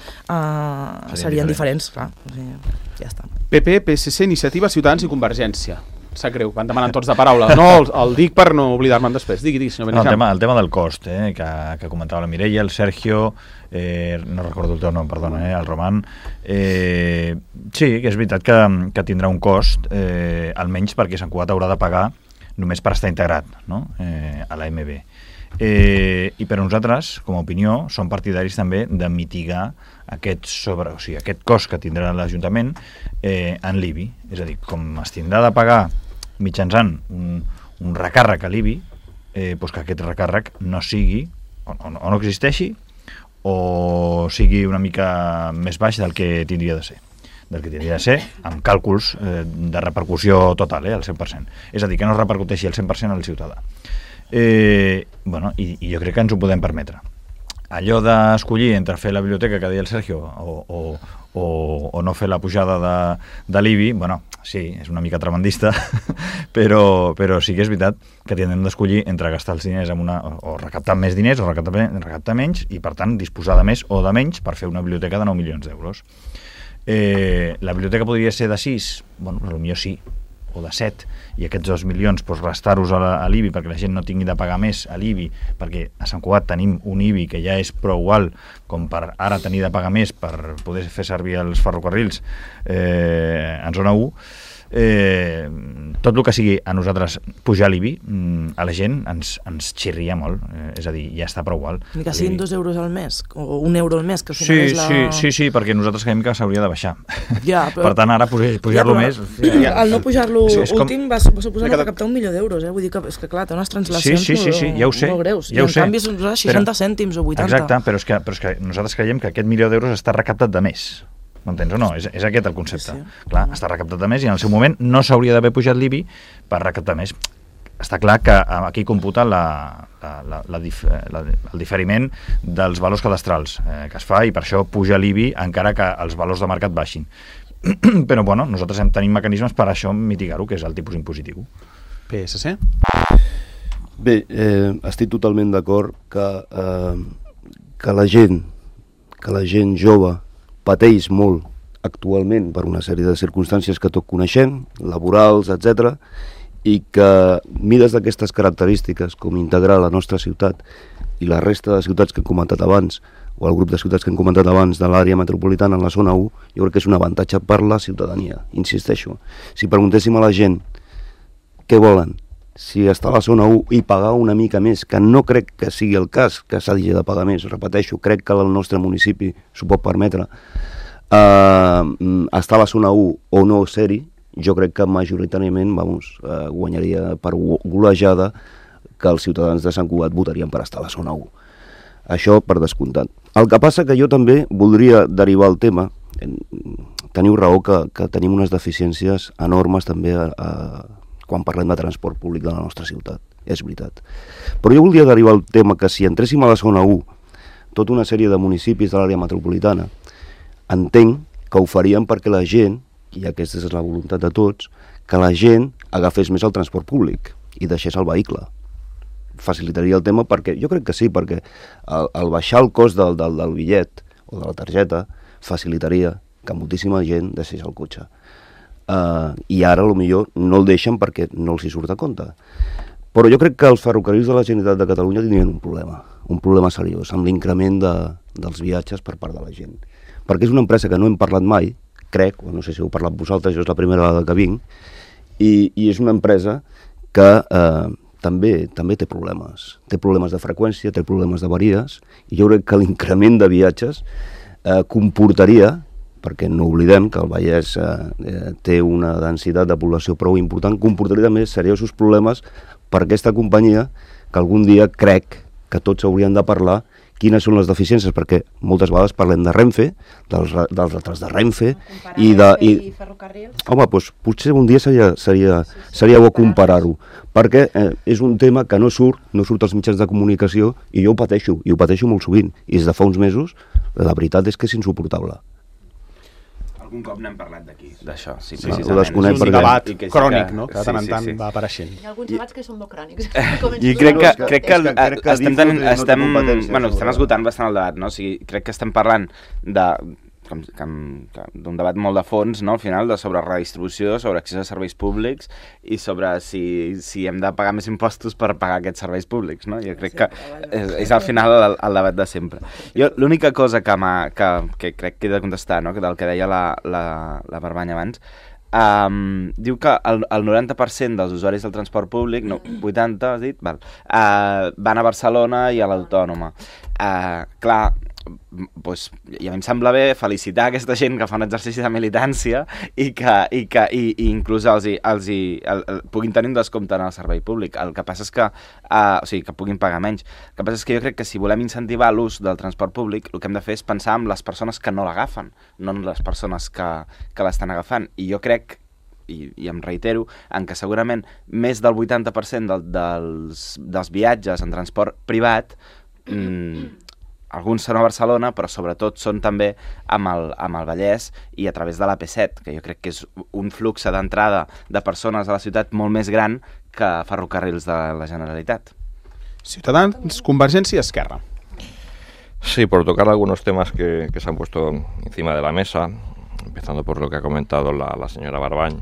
[SPEAKER 7] serien diferents. Clar, o sigui, ja està.
[SPEAKER 2] PP, PSC, Iniciativa, Ciutadans i Convergència. Sap greu, van demanant tots de paraula. No, el dic per no oblidar-me'n després. Digui, senyor Beneixam.
[SPEAKER 8] El tema del cost, que comentava la Mireia, el Sergio, no recordo el teu nom, perdona, el Roman. Sí, que és veritat que tindrà un cost, almenys perquè Sant Cugat haurà de pagar només per estar integrat, no?, a la MB. I per nosaltres, com a opinió, som partidaris també de mitigar aquest cost que tindrà l'Ajuntament en l'IBI. És a dir, com es tindrà de pagar mitjançant un recàrrec a l'IBI, doncs que aquest recàrrec no sigui, o no existeixi, o sigui una mica més baix del que tindria de ser. Amb càlculs de repercussió total, al 100%. És a dir, que no repercuteixi al 100% al ciutadà. I jo crec que ens ho podem permetre. Allò d'escollir entre fer la biblioteca que deia el Sergio o no fer la pujada de l'IBI, sí, és una mica tremendista, però sí que és veritat que tindrem d'escollir entre gastar els diners o recaptar més diners o recaptar menys i, per tant, disposar de més o de menys per fer una biblioteca de 9 milions d'euros. La biblioteca podria ser de 6? Potser sí, o de 7, i aquests 2 milions restar-los a l'IBI perquè la gent no tingui de pagar més a l'IBI, perquè a Sant Cugat tenim un IBI que ja és prou alt com per ara tenir de pagar més per poder fer servir els ferrocarrils en zona 1. Tot el que sigui a nosaltres pujar l'IBI, a la gent ens xirria molt, és a dir, ja està prou alt.
[SPEAKER 7] Ni que siguin 2 euros al mes, o 1 euro al mes, que al final és la...
[SPEAKER 8] Sí, perquè nosaltres creiem que s'hauria de baixar.
[SPEAKER 7] Ja, però...
[SPEAKER 8] Per tant, ara pujar-lo més...
[SPEAKER 7] El no pujar-lo últim va suposar no recaptar 1 milió d'euros, vull dir que, és que clar, té unes translacions molt greus. I en canvi són 60 cèntims o 80.
[SPEAKER 8] Exacte, però és que nosaltres creiem que aquest 1 milió d'euros està recaptat de més. M'entens o no? És aquest el concepte. Sí. Clar, està recaptat de més i en el seu moment no s'hauria d'haver pujat l'IBI per recaptar més. Està clar que aquí computa el diferiment dels valors cadastrals que es fa i per això puja l'IBI encara que els valors de mercat baixin. Però nosaltres tenim mecanismes per això mitigar-ho, que és el tipus impositiu.
[SPEAKER 2] PSC?
[SPEAKER 6] Bé, estic totalment d'acord que la gent jove pateix molt actualment per una sèrie de circumstàncies que tot coneixem, laborals, etc., i que mides d'aquestes característiques com integrar la nostra ciutat i la resta de ciutats que hem comentat abans, o el grup de ciutats que hem comentat abans de l'àrea metropolitana en la zona 1, jo crec que és un avantatge per la ciutadania, insisteixo. Si preguntéssim a la gent què volen, si està a la zona 1 i pagar una mica més, que no crec que sigui el cas, que s'hagi de pagar més, repeteixo, crec que el nostre municipi s'ho pot permetre, estar a la zona 1 o no ser-hi, jo crec que majoritàriament guanyaria per golejada que els ciutadans de Sant Cugat votarien per estar a la zona 1. Això per descomptat. El que passa que jo també voldria derivar el tema, teniu raó que tenim unes deficiències enormes també quan parlem de transport públic de la nostra ciutat, és veritat. Però jo voldria derivar el tema que si entréssim a la zona 1 tota una sèrie de municipis de l'àrea metropolitana, entenc que ho farien perquè la gent, i aquesta és la voluntat de tots, que la gent agafés més el transport públic i deixés el vehicle. Facilitaria el tema perquè, jo crec que sí, perquè el baixar el cost del bitllet o de la targeta facilitaria que moltíssima gent deixés el cotxe. I ara potser no el deixen perquè no els hi surt a compte. Però jo crec que els ferrocarrils de la Generalitat de Catalunya tindrien un problema seriós, amb l'increment dels viatges per part de la gent. Perquè és una empresa que no hem parlat mai, crec, o no sé si heu parlat vosaltres, jo és la primera vegada que vinc, i és una empresa que també té problemes. Té problemes de freqüència, té problemes d'avaries, i jo crec que l'increment de viatges comportaria, perquè no oblidem que el Vallès té una densitat de població prou important, comportaria també seriosos problemes per aquesta companyia, que algun dia crec que tots haurien de parlar quines són les deficiències, perquè moltes vegades parlem de Renfe, dels retards de Renfe, i ferrocarrils. Home, doncs potser un dia seria bo comparar-ho, perquè és un tema que no surt als mitjans de comunicació, i jo ho pateixo molt sovint, i des de fa uns mesos la veritat és que és insuportable.
[SPEAKER 5] Algun cop n'hem parlat d'aquí, d'això. Sí,
[SPEAKER 2] és un debat crònic, no? Que de tant en tant va apareixent.
[SPEAKER 1] Hi ha alguns debats que són molt crònics.
[SPEAKER 5] I crec que estem esgotant bastant el debat, no? O sigui, crec que estem parlant d'un debat molt de fons, no? Al final, sobre redistribució, sobre accés a serveis públics i sobre si hem de pagar més impostos per pagar aquests serveis públics, no? Jo crec que és al final el debat de sempre. Jo l'única cosa que crec que he de contestar, no? Del que deia la Barbanya abans, diu que el 90% dels usuaris del transport públic, no, 80 has dit, van a Barcelona i a l'Autònoma. Clar, doncs, i a mi em sembla bé felicitar aquesta gent que fa un exercici de militància i inclús els puguin tenir un descompte en el servei públic. El que passa és que, o sigui, que puguin pagar menys. El que passa és que jo crec que si volem incentivar l'ús del transport públic, el que hem de fer és pensar en les persones que no l'agafen, no en les persones que l'estan agafant. I jo crec, i em reitero, en que segurament més del 80% dels viatges en transport privat alguns són a Barcelona, però sobretot són també amb el Vallès i a través de l'AP7, que jo crec que és un flux d'entrada de persones a la ciutat molt més gran que ferrocarrils de la Generalitat.
[SPEAKER 2] Ciutadans, Convergència y Esquerra.
[SPEAKER 4] Sí, por tocar algunos temas que se han puesto encima de la mesa, empezando por lo que ha comentado la señora Barbany.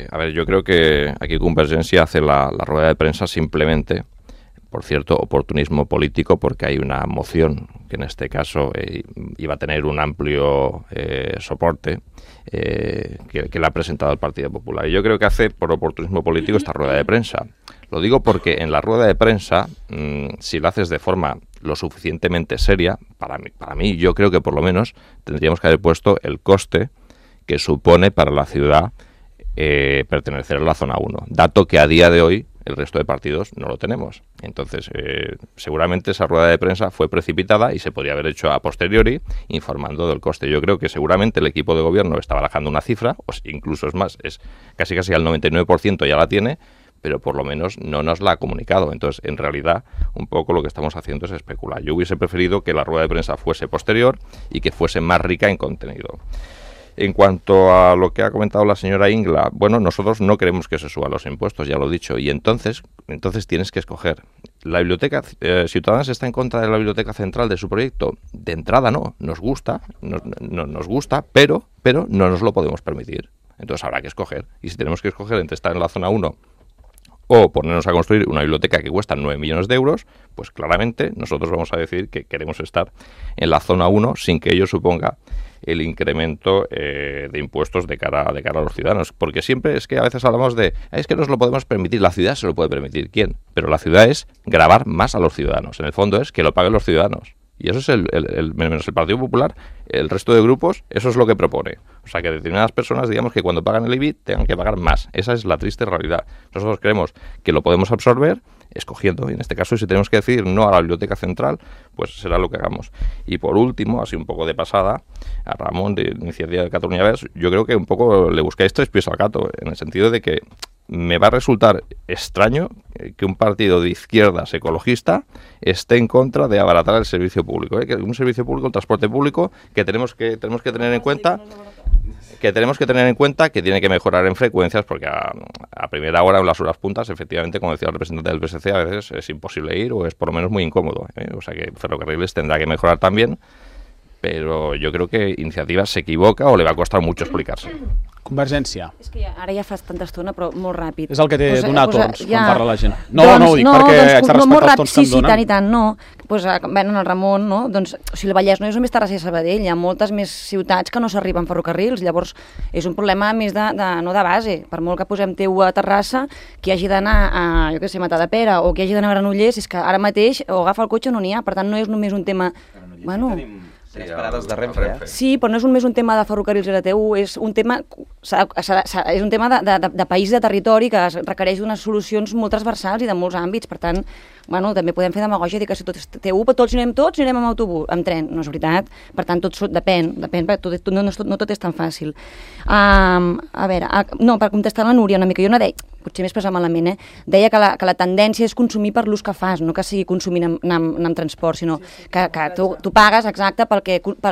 [SPEAKER 4] A ver, yo creo que aquí Convergencia hace la rueda de prensa simplemente por cierto oportunismo político, porque hay una moción que en este caso iba a tener un amplio soporte que le ha presentado el Partido Popular. Y yo creo que hace por oportunismo político esta rueda de prensa. Lo digo porque en la rueda de prensa, si la haces de forma lo suficientemente seria, para mí yo creo que por lo menos tendríamos que haber puesto el coste que supone para la ciudad pertenecer a la zona 1, dato que a día de hoy el resto de partidos no lo tenemos. Entonces, seguramente esa rueda de prensa fue precipitada y se podría haber hecho a posteriori informando del coste. Yo creo que seguramente el equipo de gobierno está barajando una cifra, o incluso es más, es casi al 99% ya la tiene, pero por lo menos no nos la ha comunicado. Entonces, en realidad, un poco lo que estamos haciendo es especular. Yo hubiese preferido que la rueda de prensa fuese posterior y que fuese más rica en contenido. En cuanto a lo que ha comentado la señora Ingla, bueno, nosotros no queremos que se suban los impuestos, ya lo he dicho, y entonces tienes que escoger. La biblioteca, Ciudadanos está en contra de la biblioteca central de su proyecto. De entrada no, nos gusta, nos gusta, pero no nos lo podemos permitir. Entonces habrá que escoger, y si tenemos que escoger entre estar en la zona 1 o ponernos a construir una biblioteca que cuesta 9 millones de euros, pues claramente nosotros vamos a decir que queremos estar en la zona 1 sin que ello suponga el incremento de impuestos de cara a los ciudadanos. Porque siempre es que a veces hablamos de, es que nos lo podemos permitir, la ciudad se lo puede permitir. ¿Quién? Pero la ciudad es gravar más a los ciudadanos. En el fondo es que lo paguen los ciudadanos. Y eso es menos el Partido Popular, el resto de grupos, eso es lo que propone. O sea, que determinadas personas, digamos, que cuando pagan el IBI tengan que pagar más. Esa es la triste realidad. Nosotros creemos que lo podemos absorber escogiendo, y en este caso, si tenemos que decidir no a la biblioteca central, pues será lo que hagamos. Y por último, así un poco de pasada, a Ramón de Iniciativa de Catalunya Verds, yo creo que un poco le buscáis tres pies al gato, en el sentido de que me va a resultar extraño que un partido de izquierdas ecologista esté en contra de abaratar el servicio público. Que un servicio público, el transporte público, que tenemos que tener en cuenta que tiene que mejorar en frecuencias, porque a primera hora, en las horas puntas, efectivamente, como decía el representante del PSC, a veces es imposible ir o es por lo menos muy incómodo. O sea que Ferrocarriles tendrá que mejorar también, pero yo creo que Iniciativa se equivoca o le va a costar mucho explicarse.
[SPEAKER 2] Convergència.
[SPEAKER 3] És que ara ja fa tanta estona, però molt ràpid.
[SPEAKER 2] És el que té donar torns quan parla la gent. No ho dic perquè haig de respectar els tons que em donen.
[SPEAKER 3] Sí, tant i tant, no. Pues, bueno, el Ramon, no? Doncs, o sigui, el Vallès no és només Terrassa i Sabadell, hi ha moltes més ciutats que no s'arriben ferrocarrils, llavors és un problema més no de base. Per molt que posem teu a Terrassa, qui hagi d'anar a, jo què sé, Matadepera o qui hagi d'anar a Granollers, és que ara mateix o agafa el cotxe o no n'hi ha, per tant no és només un tema... Bueno,
[SPEAKER 5] 3 parades de Renfe,
[SPEAKER 3] Sí, però no és només un tema de ferrocarrils RTU, és un tema, és un tema de país, de territori, que requereix unes solucions molt transversals i de molts àmbits. Per tant, bueno, també podem fer demagògia i dir que si tot és TU, però anirem amb autobús, amb tren. No és veritat. Per tant, depèn, perquè no tot és tan fàcil. A veure, no, per contestar la Núria una mica, jo no deia, potser m'he expressat malament, deia que la tendència és consumir per l'ús que fas, no que sigui consumir amb transport, sinó que tu pagues, exacte, pel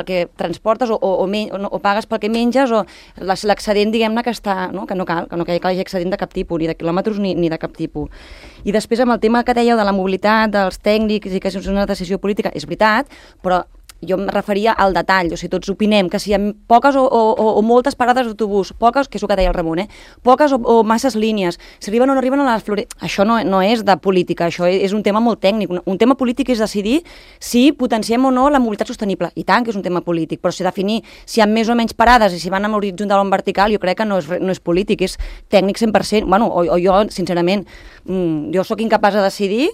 [SPEAKER 3] que transportes o pagues pel que menges o l'excedent, diguem-ne, que està, no? Que no hi hagi excedent de cap tipus, ni de quilòmetres ni de cap tipus. I després amb el tema que dèieu de la mobilitat, dels tècnics i que és una decisió política, és veritat, però jo em referia al detall, o sigui, tots opinem que si hi ha poques o moltes parades d'autobús, poques, que és el que deia el Ramon, poques o masses línies, si arriben o no arriben a les això no és de política, això és un tema molt tècnic. Un tema polític és decidir si potenciem o no la mobilitat sostenible, i tant que és un tema polític, però si definir si hi ha més o menys parades i si van en horitzontal o en vertical, jo crec que no és polític, és tècnic 100%, bueno, o jo, sincerament, jo sóc incapaç de decidir,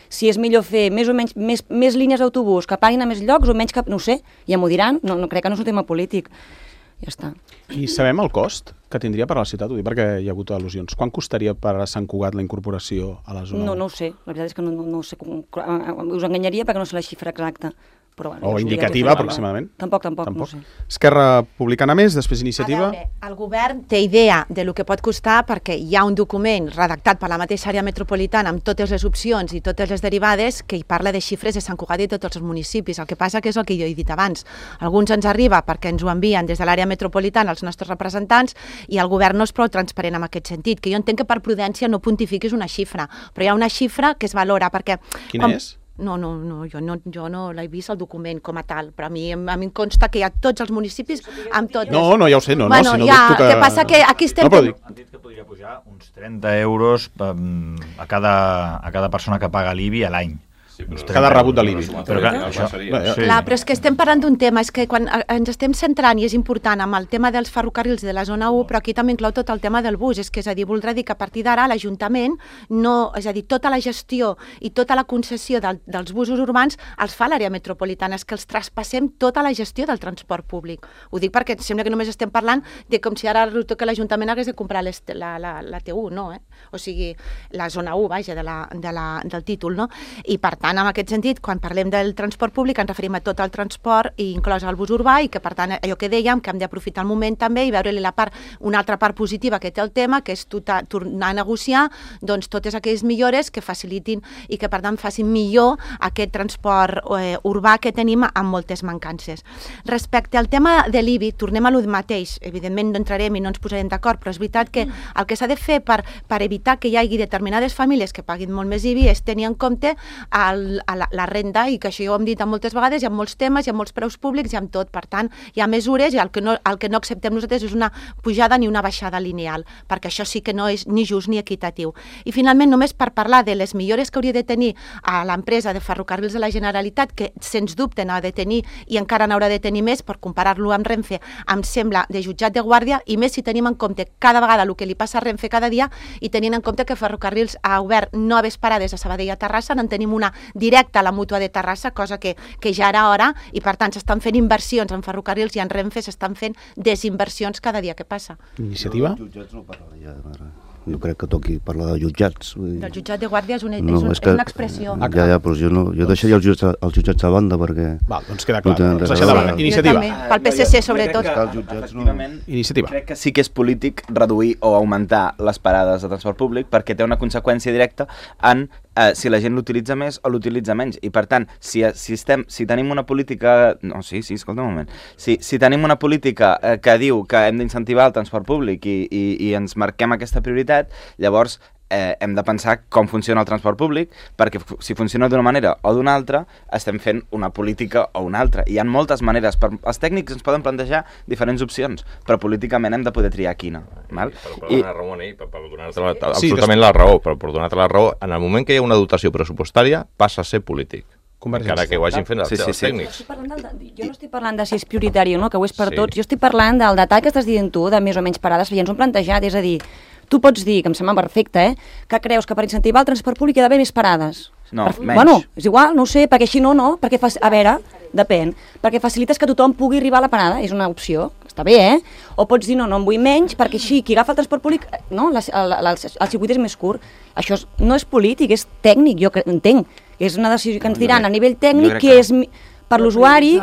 [SPEAKER 3] si és millor fer més o menys més línies d'autobús que paguin a més llocs o menys que... No ho sé, ja m'ho diran, no crec que no és un tema polític. Ja està.
[SPEAKER 2] I sabem el cost que tindria per a la ciutat? Ho dic perquè hi ha hagut al·lusions. Quan costaria per a Sant Cugat la incorporació a la zona?
[SPEAKER 3] No ho sé, la veritat és que no sé, us enganyaria perquè no sé la xifra exacta. Però, bueno,
[SPEAKER 2] o indicativa, aproximadament?
[SPEAKER 3] Tampoc, no ho sé.
[SPEAKER 2] Esquerra Republicana més, després Iniciativa?
[SPEAKER 1] A veure, el govern té idea de lo que pot costar perquè hi ha un document redactat per la mateixa àrea metropolitana amb totes les opcions i totes les derivades que hi parla de xifres de Sant Cugat i de tots els municipis. El que passa que és el que jo he dit abans. Alguns ens arriba perquè ens ho envien des de l'àrea metropolitana els nostres representants i el govern no és prou transparent en aquest sentit, que jo entenc que per prudència no pontifiquis una xifra, però hi ha una xifra que es valora perquè...
[SPEAKER 2] Quina és?
[SPEAKER 1] No, jo no l'he vist el document com a tal, però a mi em consta que hi ha tots els municipis amb tot...
[SPEAKER 2] No, ja ho sé, no,
[SPEAKER 1] bueno,
[SPEAKER 2] si no
[SPEAKER 1] ja,
[SPEAKER 2] dubto que...
[SPEAKER 1] El que passa que aquí estem...
[SPEAKER 2] No,
[SPEAKER 8] Han dit que podria pujar uns 30 euros a cada persona que paga l'IBI a l'any.
[SPEAKER 4] Sí,
[SPEAKER 2] cada rebut de l'IBI.
[SPEAKER 8] Però
[SPEAKER 1] Clar, però és que estem parlant d'un tema, és que quan ens estem centrant, i és important, amb el tema dels ferrocarrils de la zona 1, però aquí també inclou tot el tema del bus, és que, és a dir, voldrà dir que a partir d'ara l'Ajuntament, és a dir, tota la gestió i tota la concessió dels busos urbans els fa l'àrea metropolitana, és que els traspassem tota la gestió del transport públic. Ho dic perquè sembla que només estem parlant de com si ara resulta que l'Ajuntament hagués de comprar la T1, no? O sigui, la zona 1, vaja, del títol, no? I per tant, en aquest sentit, quan parlem del transport públic ens referim a tot el transport i inclòs el bus urbà i que per tant allò que dèiem que hem d'aprofitar el moment també i veure-li una altra part positiva que té el tema, que és tornar a negociar doncs totes aquelles millores que facilitin i que per tant facin millor aquest transport urbà que tenim amb moltes mancances. Respecte al tema de l'IBI, tornem a lo mateix, evidentment no entrarem i no ens posarem d'acord, però és veritat que el que s'ha de fer per evitar que hi hagi determinades famílies que paguin molt més IBI és tenir en compte la renda, i que això ja ho hem dit moltes vegades, hi ha molts temes, hi ha molts preus públics, hi ha tot, per tant, hi ha mesures i el que no acceptem nosaltres és una pujada ni una baixada lineal, perquè això sí que no és ni just ni equitatiu. I finalment, només per parlar de les millores que hauria de tenir a l'empresa de ferrocarrils de la Generalitat, que sens dubte n'ha de tenir i encara n'haurà de tenir més per comparar-lo amb Renfe, em sembla de jutjat de guàrdia, i més si tenim en compte cada vegada el que li passa a Renfe cada dia i tenint en compte que Ferrocarrils ha obert noves parades a Sabadell i a Terrassa, en tenim una directa a la mútua de Terrassa, cosa que ja era hora, i per tant s'estan fent inversions en ferrocarrils i en Renfe s'estan fent desinversions cada dia que passa.
[SPEAKER 2] Iniciativa?
[SPEAKER 6] Els jutjats no parlaria, no crec que toqui parlar de jutjats.
[SPEAKER 1] Del jutjat de guàrdia és una expressió.
[SPEAKER 6] Ja, però jo deixaria els jutjats a banda perquè...
[SPEAKER 2] Val, doncs queda clar. Deixa de banda. Iniciativa.
[SPEAKER 1] Pel PSC, sobretot.
[SPEAKER 2] Iniciativa.
[SPEAKER 5] Crec que sí que és polític reduir o augmentar les parades de transport públic perquè té una conseqüència directa en si la gent l'utilitza més o l'utilitza menys. I per tant, si tenim una política... No, escolta un moment. Si tenim una política que diu que hem d'incentivar el transport públic i ens marquem aquesta prioritat, llavors hem de pensar com funciona el transport públic, perquè si funciona d'una manera o d'una altra, estem fent una política o una altra. I hi ha moltes maneres. Els tècnics ens poden plantejar diferents opcions, però políticament hem de poder triar quina. Val?
[SPEAKER 4] Per donar-te absolutament la raó, però per donar-te la raó, en el moment que hi ha una dotació pressupostària, passa a ser polític. Encara que ho hagin fet els tècnics.
[SPEAKER 3] Jo no estic parlant de si és prioritari o no, que ho és per tots. Jo estic parlant del detall que estàs dient tu, de més o menys parades, ja ens ho hem plantejat, és a dir, tu pots dir, que em sembla perfecte, que creus que per incentivar el transport públic hi ha d'haver més parades.
[SPEAKER 5] No, menys.
[SPEAKER 3] Bueno, és igual, no ho sé, perquè així no, perquè a veure, depèn, perquè facilites que tothom pugui arribar a la parada, és una opció, està bé, O pots dir, no en vull menys, perquè així, qui agafa el transport públic, no, el circuit és més curt. Això no és polític, és tècnic, jo entenc. És una decisió que ens diran a nivell tècnic que és per l'usuari.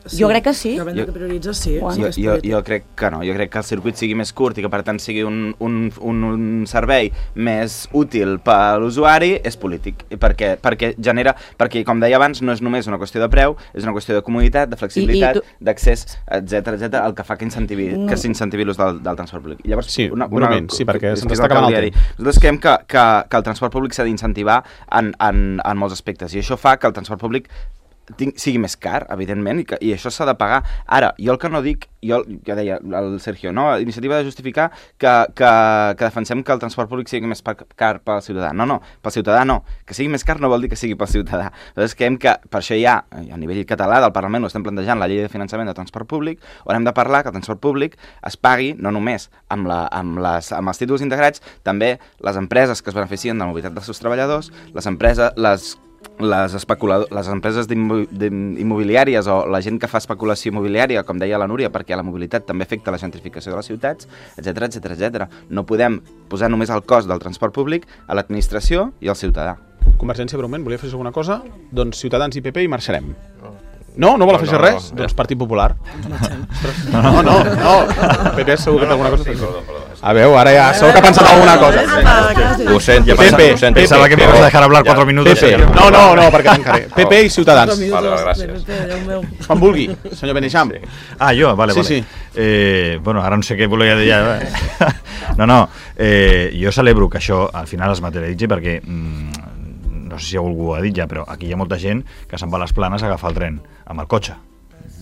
[SPEAKER 3] Jo crec que sí.
[SPEAKER 7] Depèn de què prioritzes, sí.
[SPEAKER 5] Jo crec que no. Jo crec que el circuit sigui més curt i que per tant sigui un servei més útil per l'usuari és polític. Perquè genera... Perquè, com deia abans, no és només una qüestió de preu, és una qüestió de comoditat, de flexibilitat, d'accés, etc, el que fa que s'incentivi l'ús del transport públic. Llavors,
[SPEAKER 2] sí, un moment, sí, perquè se'ns està acabant el temps.
[SPEAKER 5] Nosaltres creiem que el transport públic s'ha d'incentivar en molts aspectes i això fa que el transport públic sigui més car, evidentment, i això s'ha de pagar. Ara, jo el que no dic, ja deia el Sergio, no? L'iniciativa de justificar que defensem que el transport públic sigui més car pel ciutadà. No, pel ciutadà no. Que sigui més car no vol dir que sigui pel ciutadà. Llavors creiem que per això hi ha, a nivell català del Parlament, ho estem plantejant la llei de finançament del transport públic, on hem de parlar que el transport públic es pagui no només amb els títols integrats, també les empreses que es beneficien de la mobilitat dels seus treballadors, les empreses immobiliàries o la gent que fa especulació immobiliària, com deia la Núria, perquè la mobilitat també afecta la gentrificació de les ciutats, etc. No podem posar només el cost del transport públic a l'administració i al ciutadà.
[SPEAKER 2] Convergència, breument, volia fer alguna cosa? Doncs Ciutadans i PP i marxarem. No vol afegir res? Doncs Partit Popular. No. PP segur que té alguna cosa. A veure, ara ja segur que ha pensat alguna cosa.
[SPEAKER 4] Ho sento.
[SPEAKER 8] Pensava que me vas a dejar hablar 4 minutos.
[SPEAKER 2] No, perquè tancaré. PP i Ciutadans.
[SPEAKER 4] Vale, gràcies.
[SPEAKER 2] Quan vulgui, senyor Beneixam.
[SPEAKER 8] Jo, vale.
[SPEAKER 2] Sí.
[SPEAKER 8] Bueno, ara no sé què volia dir ja. No, jo celebro que això al final es materialitzi perquè no sé si algú ho ha dit ja, però aquí hi ha molta gent que se'n va a les Planes a agafar el tren amb el cotxe.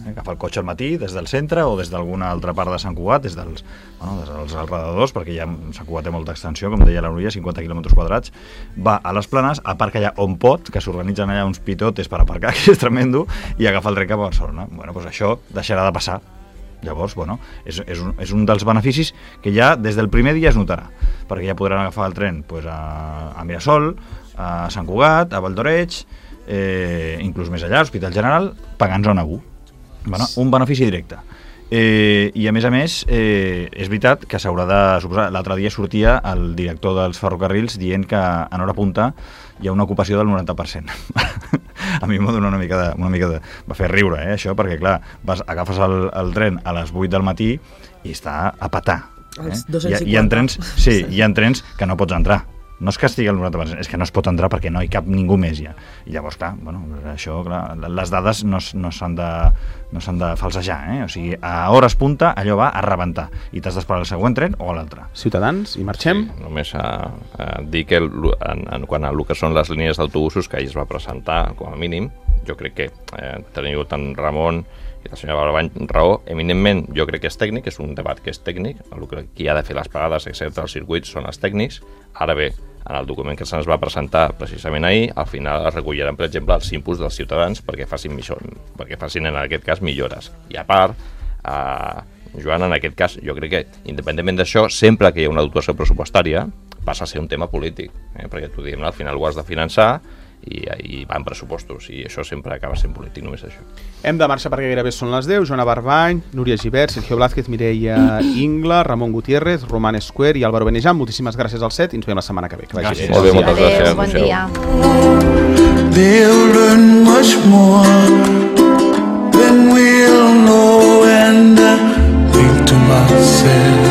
[SPEAKER 8] Agafar el cotxe al matí des del centre o des d'alguna altra part de Sant Cugat, des dels alrededors, perquè ja Sant Cugat té molta extensió, com deia la Núria, 50 quilòmetres quadrats, va a les Planes, aparca allà on pot, que s'organitzen allà uns pitotes per aparcar, que és tremendo, i agafa el tren cap a Barcelona. Bueno, doncs això deixarà de passar. Llavors, és un dels beneficis que ja des del primer dia es notarà, perquè ja podran agafar el tren a Mirasol, a Sant Cugat, a Valdoreig, inclús més allà, a l'Hospital General, pagant zona 1. Un benefici directe. I a més, és veritat que s'haurà de suposar... L'altre dia sortia el director dels ferrocarrils dient que en hora punta hi ha una ocupació del 90%. A mi m'ha donat una mica de... Va fer riure, això, perquè, clar, agafes el tren a les 8 del matí i està a petar. Hi ha trens que no pots entrar. No és que estigui al 90%, és que no es pot entrar perquè no hi cap ningú més ja. I llavors, clar, les dades no s'han de falsejar, O sigui, a hores punta allò va a rebentar i t'has d'esperar el següent tren o l'altre.
[SPEAKER 2] Ciutadans, i marxem?
[SPEAKER 4] Sí, només dir que quant a el que són les línies d'autobusos que ahir es va presentar, com a mínim, jo crec que teniu tant Ramon i la senyora Balbany raó. Eminentment, jo crec que és tècnic, és un debat que és tècnic, qui ha de fer les parades, excepte els circuits, són els tècnics. Ara bé, en el document que se'ns va presentar precisament ahir, al final es recolliran, per exemple, els inputs dels ciutadans perquè facin en aquest cas millores. I a part, Joan, en aquest cas, jo crec que, independentment d'això, sempre que hi ha una dotació pressupostària, passa a ser un tema polític, perquè tu diem, al final ho has de finançar i van pressupostos, i això sempre acaba sent polític, només això.
[SPEAKER 2] Hem de marxar perquè gairebé són les 10. Joana Barbany, Núria Gibert, Sergio Blázquez, Mireia Ingla, Ramon Gutiérrez, Roman Escuer i Álvaro Benejam. Moltíssimes gràcies al set i ens veiem la setmana que ve. Que vagi bé.
[SPEAKER 4] Molt bé, moltes gràcies.
[SPEAKER 1] Bon dia.
[SPEAKER 9] They'll learn much more than we'll know, and I think to myself,